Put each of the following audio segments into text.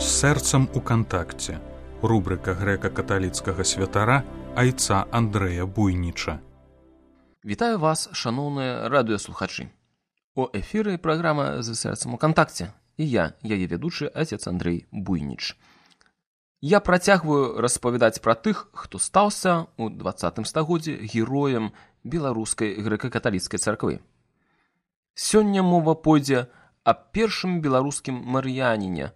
З сэрцам у кантакце. Рубрика грэка-каталіцкага святара айца Андрэя Буйніча. Вітаю вас, шаноўныя радыёслухачы. У эфіры праграма «З сэрцам у кантакце» і я, яе ведучы, отец Андрэй Буйніч. Я працягваю распавядаць пра тых, хто стаўся ў 20 стагоддзі героем беларускай грэка-каталіцкай царквы. Сёння мова пойдзе аб першым беларускім мар'яніне,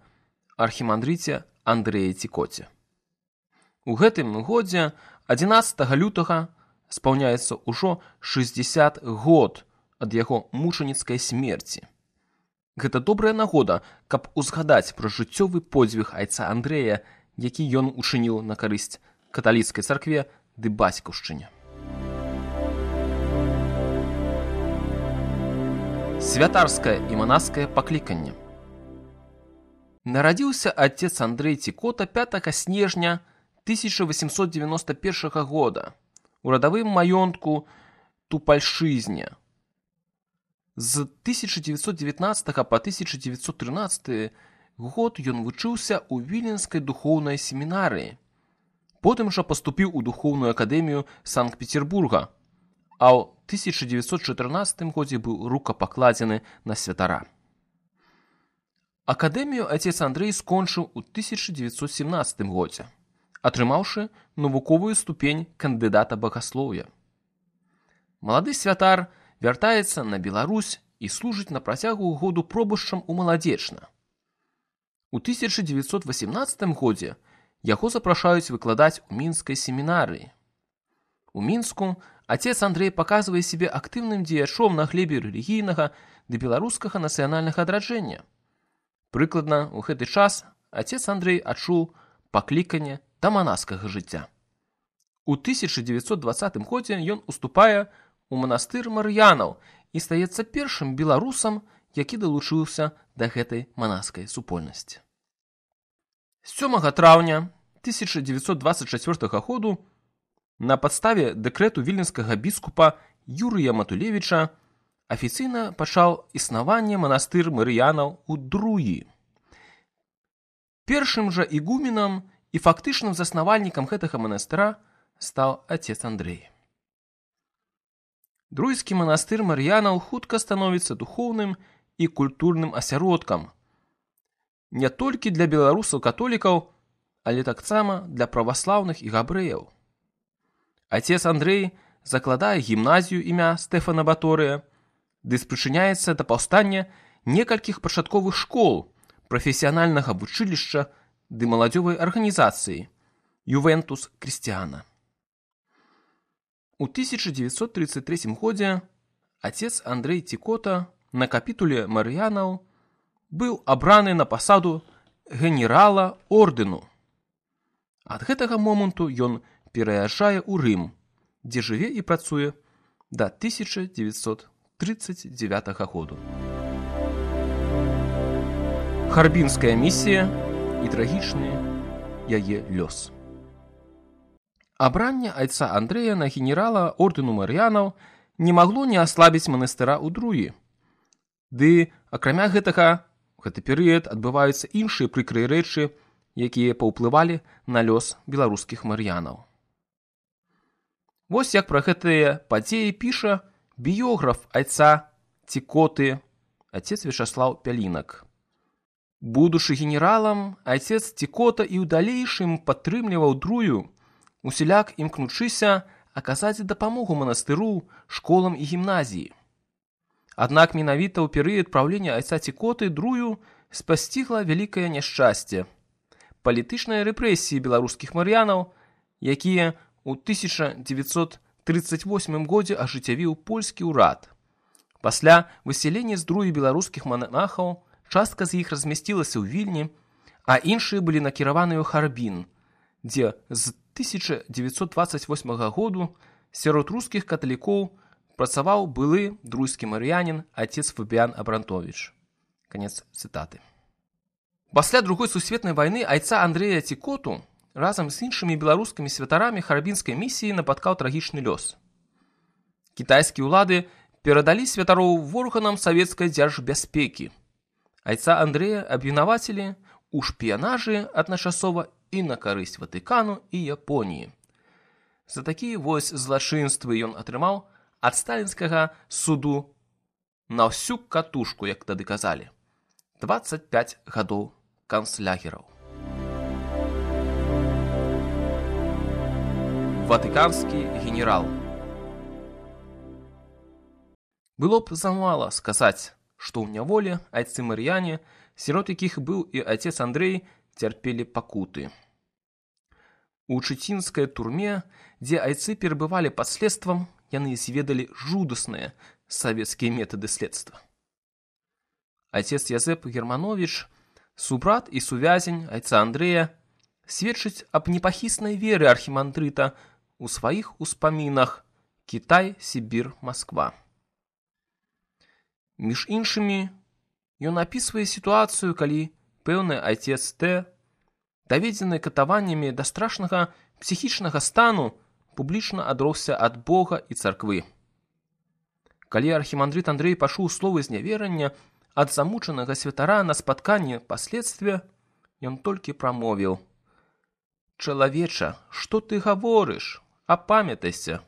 архімандрыце Андрэі Цікоце. У гэтым годзе, 11 лютага, спаўняецца ўжо 60 год ад яго мучаніцкай смерці. Гэта добрая нагода, каб узгадаць пра жыццёвы подзвіг айца Андрэя, які ён учыніў на карысць каталіцкай царкве ды бацькаўшчыне. Святарскае і манаскае пакліканне. Нарадзіўся отец Андрэй Цікота 5 снежня 1891 года у радавым маёнтку Тупальшызне. З 1919 па 1913 год ён вучыўся ў Віленскай духоўнай семінарыі. Потым жа паступіў у духоўную акадэмію Санкт-Петербурга, а ў 1914 годзе быў рукапакладзены на святара. Акадэмію отец Андрэй скончыў у 1917 годзе, атрымаўшы навуковую ступень кандыдата багаслоўя. Малады святар вяртаецца на Беларусь і служыць на працягу году пробышчам у Маладзечна. У 1918 годзе яго запрашаюць выкладаць у мінскай семінарыі. У Мінску отец Андрэй паказвае сябе актыўным дзеячом на глебе рэлігійнага ды беларускага нацыянальнага адраджэння. Прыкладна ў гэты час отец Андрэй адчуў пакліканне да манаскага жыцця. У 1920 годзе ён уступае у манастыр мар'янаў і стаецца першым беларусам, які далучыўся да гэтай манаскай супольнасці. 7 траўня 1924 году на падставе дэкрэту віленскага біскупа Юрыя Матулевіча афіцыйна пачаў існаванне манастыр мар'янаў у Друі. Першым жа ігуменам і фактычным заснавальнікам гэтага манастыра стаў отец Андрэй. Друйскі манастыр мар'янаў хутка становіцца духоўным і культурным асяродкам не толькі для беларусаў-католікаў, але таксама для праваслаўных і габрэяў. Отец Андрэй закладае гімназію імя Стэфана Баторыя, ды спрычыняецца да паўстання некалькіх пачатковых школ, прафесіянальнага вучылішча ды маладзёвай арганізацыі «Ювентус Крістіана». У 1933 годзе отец Андрэй Цікота на капітуле мар'янаў быў абраны на пасаду генерала ордэну. Ад гэтага моманту ён пераязджае ў Рым, дзе жыве і працуе да 1939 году. Харбінская місія і трагічны яе лёс. Абранне айца Андрэя на генерала ордэну мар'янаў не магло не аслабіць манастыра ў Друі. Ды, акрамя гэтага, у гэты перыяд адбываюцца іншыя прыкрыя рэчы, якія паўплывалі на лёс беларускіх мар'янаў. Вось як пра гэтыя падзеі піша біёграф айца Цікоты, отец Вячаслаў Пялінак. Будучы генералам, отец Цікота і ў далейшым падтрымліваў Друю, усяляк імкнучыся аказаць дапамогу манастыру, школам і гімназіі. Аднак менавіта ў перыяд праўлення айца Цікоты Друю спасцігла вялікае няшчасце. Палітычныя рэпрэсіі беларускіх мар'янаў, якія ў 1938 годзе ажыццявіў польскі ўрад. Пасля высялення з Друі беларускіх манахаў частка з іх размясцілася ў Вільні, а іншыя былі накіраваныя ў Харбін, дзе з 1928 году сярод рускіх каталікоў працаваў былы друйскі мар'янін отец Фабіян Абрантовіч. Канец цытаты. Пасля Другой сусветнай вайны айца Андрэя Цікоту разам з іншымі беларускімі святарамі харбінскай місіі напаткаў трагічны лёс. Кітайскія ўлады перадалі святароў ворганам савецкай дзяржбяспекі. Айца Андрэя абвінавацілі у шпіянажы адначасова і на карысць Ватыкану і Японіі. За такія вось злачынствы ён атрымаў ад сталінскага суду на ўсю катушку, як тады казалі, 25 гадоў канцлягераў. Ватыканскі генерал. Было б замала сказаць, што ў няволе айцы-мар'яне, сірот якіх быў і айцец Андрэй, цярпелі пакуты. У чыцінскай турме, дзе айцы перабывалі пад следствам, яны зведалі жудасныя савецкія метады следства. Айцец Язэп Германовіч, субрат і сувязень айца Андрэя, сведчыць аб непахіснай веры архімандрыта у сваіх успамінах «Кітай, Сібір, Масква». Між іншымі, ён апісвае сітуацыю, калі пэўны айцец Т, даведзены катаваннямі да страшнага псіхічнага стану, публічна адросся ад Бога і царквы. Калі архімандрыт Андрэй пачуў словы зняверання ад замучанага святара на спатканні па следстве, ён толькі прамовіў: «Чалавеча, што ты гаворыш? Апамятайся!»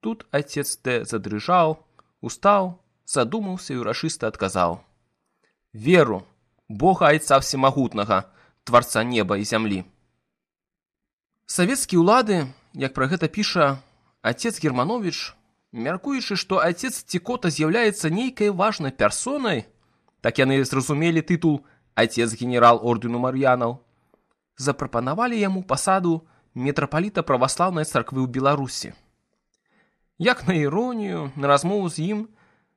Тут айцец Т задрыжаў, устаў, задумаўся і ўрачыста адказаў: «Веру, Бога айца всемагутнага, тварца неба і зямлі». Савецкія ўлады, як пра гэта піша айцец Германовіч, мяркуючы, што айцец Цікота з'яўляецца нейкай важнай персонай, так яны зразумелі тытул айцец генерал ордэну мар'янаў, запрапанавалі яму пасаду мітрапаліта праваслаўнай царквы ў Беларусі. Як на іронію, на размову з ім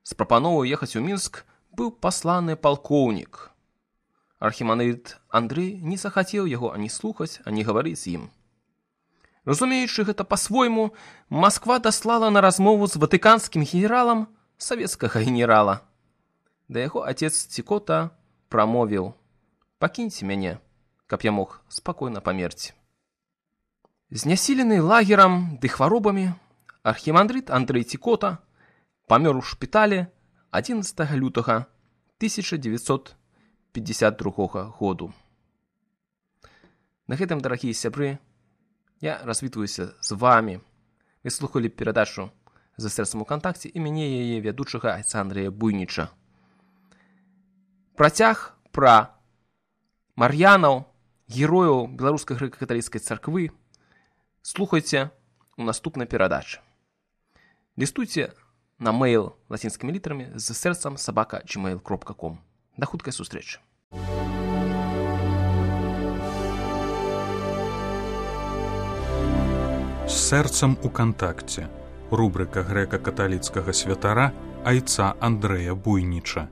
з прапановай ехаць у Мінск быў пасланы палкоўнік. Архімандрыт Андрэй не захацеў яго ані слухаць, ані гаварыць з ім. Разумеючы гэта па-свойму, Масква даслала на размову з ватыканскім генералам савецкага генерала. Да яго айцец Цікота прамовіў: «Пакіньце мяне, каб я мог спакойна памерці». Знясілены лагерам ды хваробамі, архімандрыт Андрэй Цікота памёр у шпіталі 11 лютага 1952 году. На гэтым, дарагія сябры, я развітваюся з вамі. Вы слухалі перадачу «За сэрцам у кантакце» і мяне яе вядучага айца Андрэя Буйніча. Працяг пра мар'янаў, герояў беларускай грэка-каталіцкай царквы слухайце у наступнай перадачы. Лістуйце на мэйл лацінскімі літарамі з сэрцам @gmail.com. Да хуткай сустрэчы. З сэрцам у кантакце. Рубрыка грэка-каталіцкага святара айца Андрэя Буйніча.